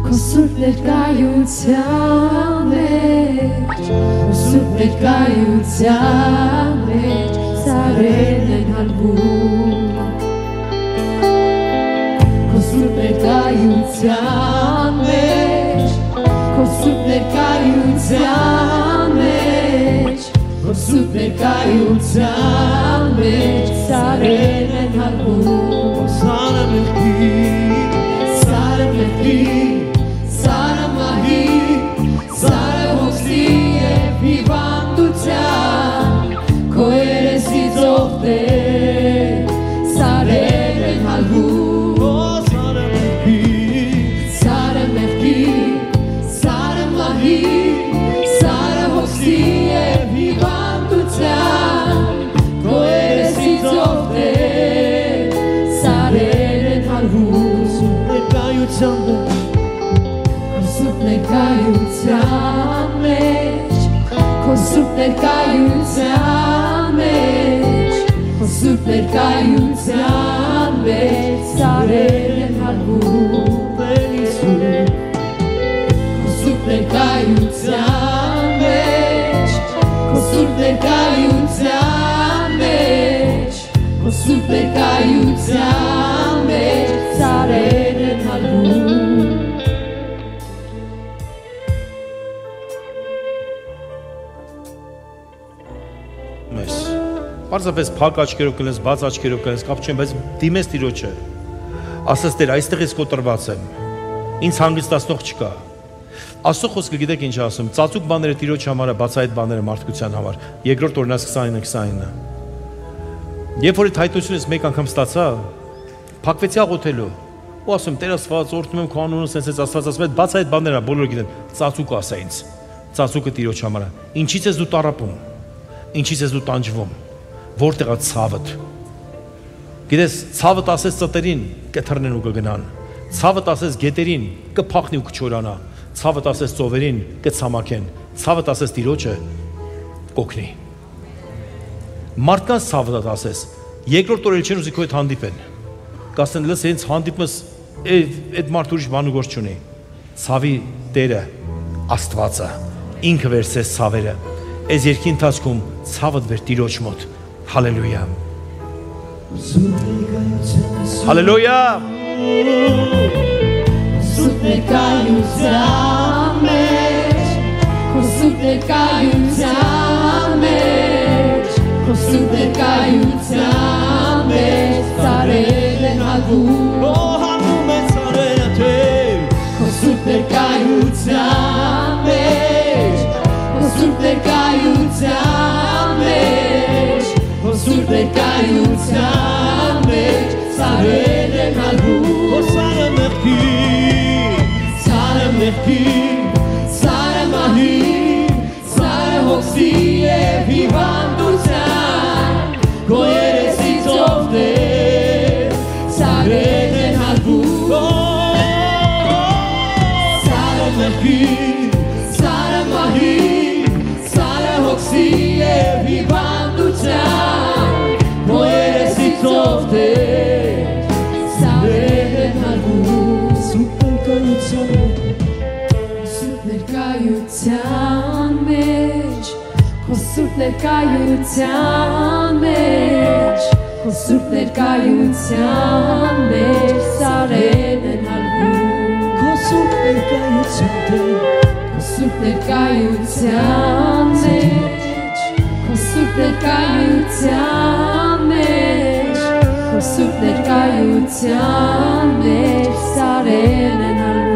քո սուրբ ներկայության մեջ, քո սուրբ ներկայության մեջ, սարերն են հալվում, քո սուրբ ներկայության մեջ, քո սուրբ ներկայության մեջ, քո սուրբ ներկայության մեջ, սարերն են հալվում. Sara Melki, Sara Melki, Sara Mahi, Sara Hoxi e Vivanduțan, Coeresi zofte, Sara en halbu. Sara Melki, Sara Melki, Sara Mahi, Sara Hoxi e Vivanduțan, Coeresi zofte. Kosub nekayutsam mech, kosub nekayutsam mech, kosub nekayutsam mech, sarelen halbu benisu. Kosub nekayutsam mech, kosub nekayutsam mech, kosub nekayutsam mech, sarelen halbu. Պարզապես փակ աչքերով կլես, բաց աչքերով կլես, կապ չեմ, բայց դիմես Տիրոջը։ Ասես Տեր, այստեղ ես կոտրված եմ։ Ինձ հանգստացնող չկա։ Աստծո խոսքը գիտեք ինչ ասում, ծածուկ բաները Տիրոջ համար է, բաց այդ բաները մարդկության համար։ Երկրորդ Օրինաց քսանինը քսանինը։ Երբ որ այդ հայտությունից մեկ անգամ ստացա, փակվեցի աղոթելու։ Ու ասում Տեր Աստված, օրհնում եմ քո անունը, սենց էս Աստված ասում է, բաց այդ բաները բոլորը գիտեն, ծածուկ ասա ինձ։ Ծածուկը Տիրոջ համար է։ Ինչից ես դու տառապում։ Ինչից ես դու տանջվում։ Որտեղ է ցավդ։ Գիտես, ցավդ ասես ծտերին կթռնեն ու կգնան։ Ցավդ ասես գետերին կփախնի ու կչորանա։ Ցավդ ասես ծովերին կցամաքեն։ Ցավդ ասես Տիրոջը կօգնի։ Մարդկանց ցավդ ասես, երկրորդ օրը չեն ուզի քո հետ հանդիպեն։ Կասեն, լս հենց հանդիպումս այդ մարդ ուրիշ բան ու գործ չունի։ Ցավի Տերը Աստվածը ինքը վերցրեց ցավերը։ Այս երկի ընթացքում ցավդ վեր Տիրոջ մոտ։ Հալելույա։ Հալելույա։ Սուրբ ներկայության մեջ, քո սուրբ ներկայության մեջ, քո սուրբ ներկայության մեջ, սարերն են հալվում։ Օ հալվում են սարերը Տեր, քո սուրբ ներկայության մեջ, քո սուրբ ներկայության մեջ, քո սուրբ ներկայության մեջ, սարերն են հալվում։ Օ սարը մեղքի, սարը մեղքի, սարը մահի, սարը հոգսի և հիվանդության, քո երեսից ովներ, սարերն են հալվում։ Սարը մեղքի, սարը մահի, սարը հոգսի և հիվանդության, քո երեսից ովներ, սարերն են հալվում։ Սուրբ ներկայության մեջ, քո սուրբ ներկայության մեջ, քո սուրբ ներկայության մեջ, սարերն են հալվում։ Քո սուրբ ներկայության քո սուրբ ներկայության մեջ, քո սուրբ ներկայության մեջ, քո սուրբ ներկայության մեջ, սարերն են հալվում։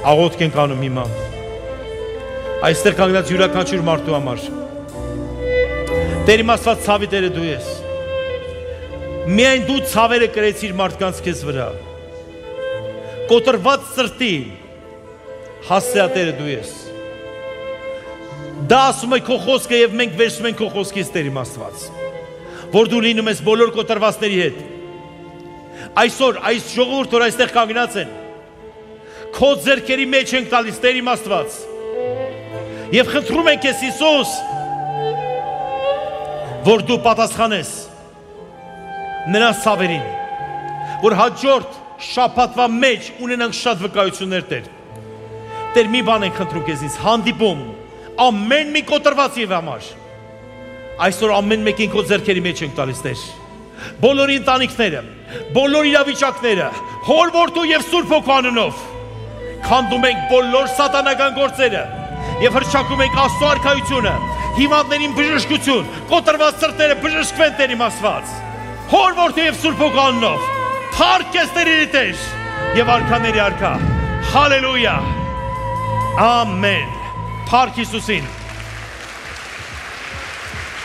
Աղոթք ենք անում հիմա։ Այստեղ կանգնած յուրաքանչյուր մարդու համար։ Տեր իմ Աստված, ցավի Տերը դու ես։ Միայն դու ցավերը կրեցիր մարդկանց քեզ վրա։ Կոտրված սրտի հասցեատերը դու ես։ Դա ասում է քո խոսքը եւ մենք վերցնում ենք քո խոսքից Տեր իմ Աստված, որ դու լինում ես բոլոր կոտրվածների հետ։ Այսօր այս ժողովուրդը որ այստեղ կանգնած են, քո ձեռքերի մեջ ենք տալիս Տեր իմ Աստված։ Եվ խնդրում ենք քեզ Հիսուս, որ դու պատասխանես նրանց ցավերին, որ հաջորդ շաբաթվա մեջ ունենանք շատ վկայություններ Տեր։ Տեր մի բան ենք խնդրում քեզից, հանդիպում ամեն մի կոտրվածի համար։ Այսօր ամեն մեկին քո ձեռքերի մեջ ենք տալիս Տեր։ Բոլոր ընտանիքները, բոլոր իրավիճակները, Հոր Որդու եւ Սուրբ Հոգու անունով քանդում ենք բոլոր սատանական գործերը եւ հրճակում ենք Աստծո արքայությունը, հիվանդներին բժշկություն, կոտրված սրտերը բժշկվեն Տեր իմ Աստված։ Հոր Որդու եւ Սուրբ Հոգու անունով փառք ես Տերերի Տեր եւ արքաների արքա։ Հալելույա։ Ամեն։ Փառք Հիսուսին։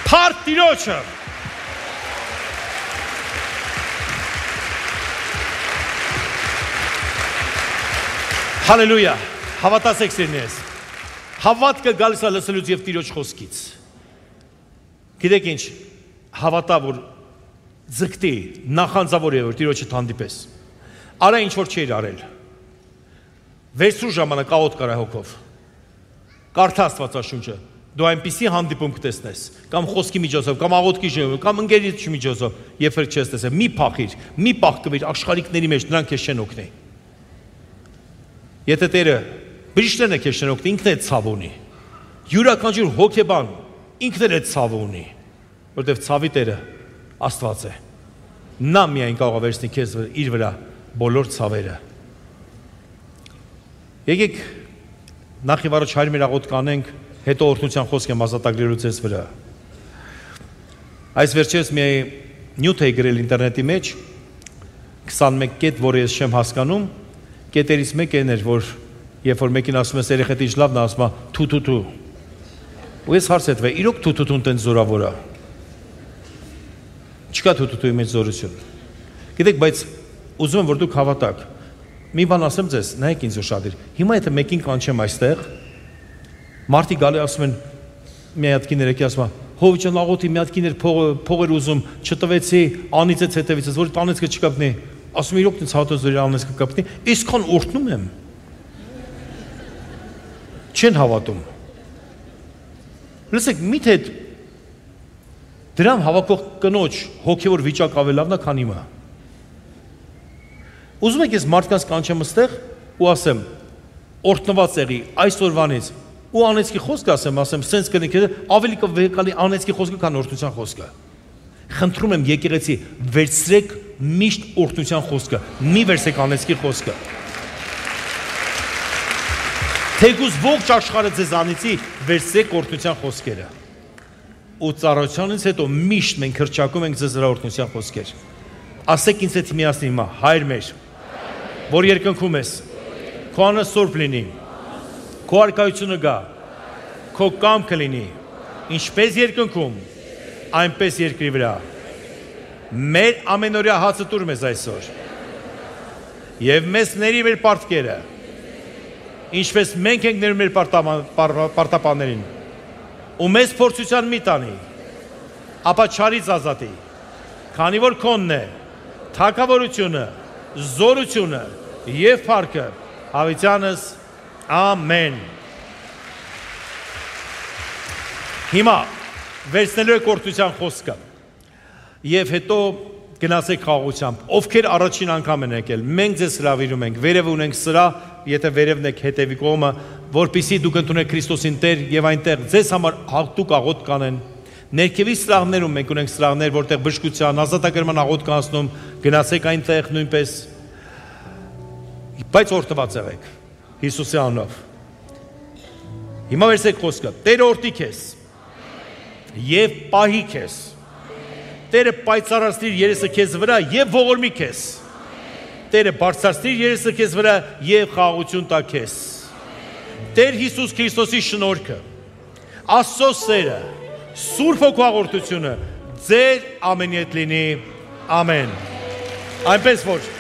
Փառք Տիրոջը։ Հալելույա։ Հավատացեք սիրնես։ Հավատքը գալիս է լսելուց եւ Տիրոջ խոսքից։ Գիտեք ինչ, հավատա որ ձգտի, նախանձավոր է որ Տիրոջը հանդիպես։ Արա ինչ որ չէր արել։ Վերցրու ժամանակ աղոտ կարա հոգով։ Կարդա Աստվածաշունչը։ Դու այնպիսի հանդիպում կտեսնես, կամ խոսքի միջոցով, կամ աղոթքի միջոցով, կամ ընկերից միջոցով, երբ որ չես տեսել, մի փախիր, մի պահկվիր աշխարհիկների մեջ, նրանք քեզ չեն օգնի։ Եթե Տերը բժիշկներն է քեզ չեն օգնի, ինքն է ցավ ունի։ Յուրաքանչյուր հոգեբան ինքն է ցավ ունի, որովհետև ցավի Տերը Աստված է։ Նա միայն կարող է վերցնել քեզ իր վրա բոլոր ցավերը։ Եկեք նախ եւ առաջ հայր մեր աղոթք կանենք, հետո օրհնության խոսք եմ ազատագրելու ձեզ վրա։ Այս վերջերս մի նյութ էի գրել ինտերնետի մեջ, քսանմեկ կետ, որը ես չեմ հասկանում, կետերից մեկն էր, որ երբ որ մեկին ասում ես երեխեքի ինչ լավն է, ասում է թու-թու-թու։ Ու ես հարցրեցի, իրոք թու-թու-թուն տենց զորավոր է։ Չկա թու-թու-թուի մեջ զորություն։ Գիտեք, բայց ուզում եմ որ դուք հավատաք։ Մի բան ասեմ ձեզ, նայեք ինձ ուշադիր։ Հիմա եթե մեկին կանչեմ այստեղ, մարդիկ գալի ասում են, մի հատ կին երեքի ասում է, հով ջան աղոթի մի հատ կիներ փողեր ուզում, չտվեցի, անիծեց հետևից, որ տանեցքը չկապնի։ Ասում իրոք ինձ հատոց որ անիծքը կապնի, իսկան օրհնում եմ։ Չեն հավատում։ Լսեք, միթե դրամ հավաքող կնոջ հոգևոր վիճակ ավելի լավն է, քան իմը։ Ուզում եք ես մարդկանց կանչեմ այստեղ ու ասեմ, օրհնված եղի այսօրվանից ու անեծքի խոսք ասեմ, ասեմ, սենց կնեք, ավելի կվեկալի անեծքի խոսքը, քան օրհնության խոսքը։ Խնդրում եմ եկեղեցի, վերցրեք միշտ օրհնության խոսքը, մի վերցրեք անեծքի խոսքը։ Թեկուզ ողջ աշխարհը ձեզ անիծի, վերցրեք օրհնության խոսքերը։ Ու ծառայությունից հետո միշտ մենք հրճակում ենք ձեզ վրա օրհնության խոսքեր։ Ասեք ինձ հետ միասին հիմա, Հայր մեր, որ երկնքում ես, քո անունը սուրբ լինի, քո արքայությունը գա, քո կամքը լինի, ինչպես երկնքում, այնպես երկրի վրա։ Մեր ամենօրյա հացը տուր մեզ այսօր։ Եվ մեզ ների մեր պարտքերը, ինչպես մենք ենք ներում մեր պարտապաններին, ու մեզ փորձության մի տանի, ապա չարից ազատի, քանի որ քոնն է թագավորությունը, զորությունը եւ փառքը հավիտյանս ամեն։ Հիմա վերցնելու եք օրհնության խոսքը եւ հետո գնացեք խաղաղությամբ։ Ովքեր առաջին անգամ են եկել, մենք ձեզ հրավիրում ենք, վերև ունենք սրա, եթե վերևն եք հետևի կողմը, որպեսզի դուք ընդունեք Քրիստոսին Տեր եւ այնտեղ ձեզ համար հատուկ աղոթք կանեն։ Ներքևի սրահներում մենք ունենք սրահներ, որտեղ բժշկության, ազատագրման աղոթք կանցնում, գնացեք այնտեղ նույնպես։ Բայց օրհնված եղեք Հիսուսի անունով։ Հիմա վերցեք խոսքը. Տերը օրհնի քեզ եւ պահի քեզ։ Տերը պայծառացնի երեսը քեզ վրա եւ ողորմի քեզ։ Տերը բարձրացնի երեսը քեզ վրա եւ խաղաղություն տա քեզ։ Տեր Հիսուս Քրիստոսի շնորհքը, Աստծո սերը, Սուրբ Հոգու աղոթությունը ձեր ամենի հետ լինի։ Ամեն։ Այնպես որ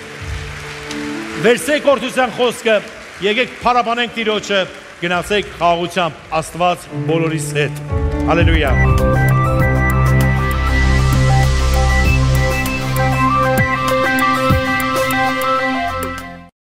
վերցեք օրդության խոսքը, եկեք փառաբանենք Տիրոջը, գնացեք խաղաղությամբ Աստված բոլորիս հետ։ Հալելույա։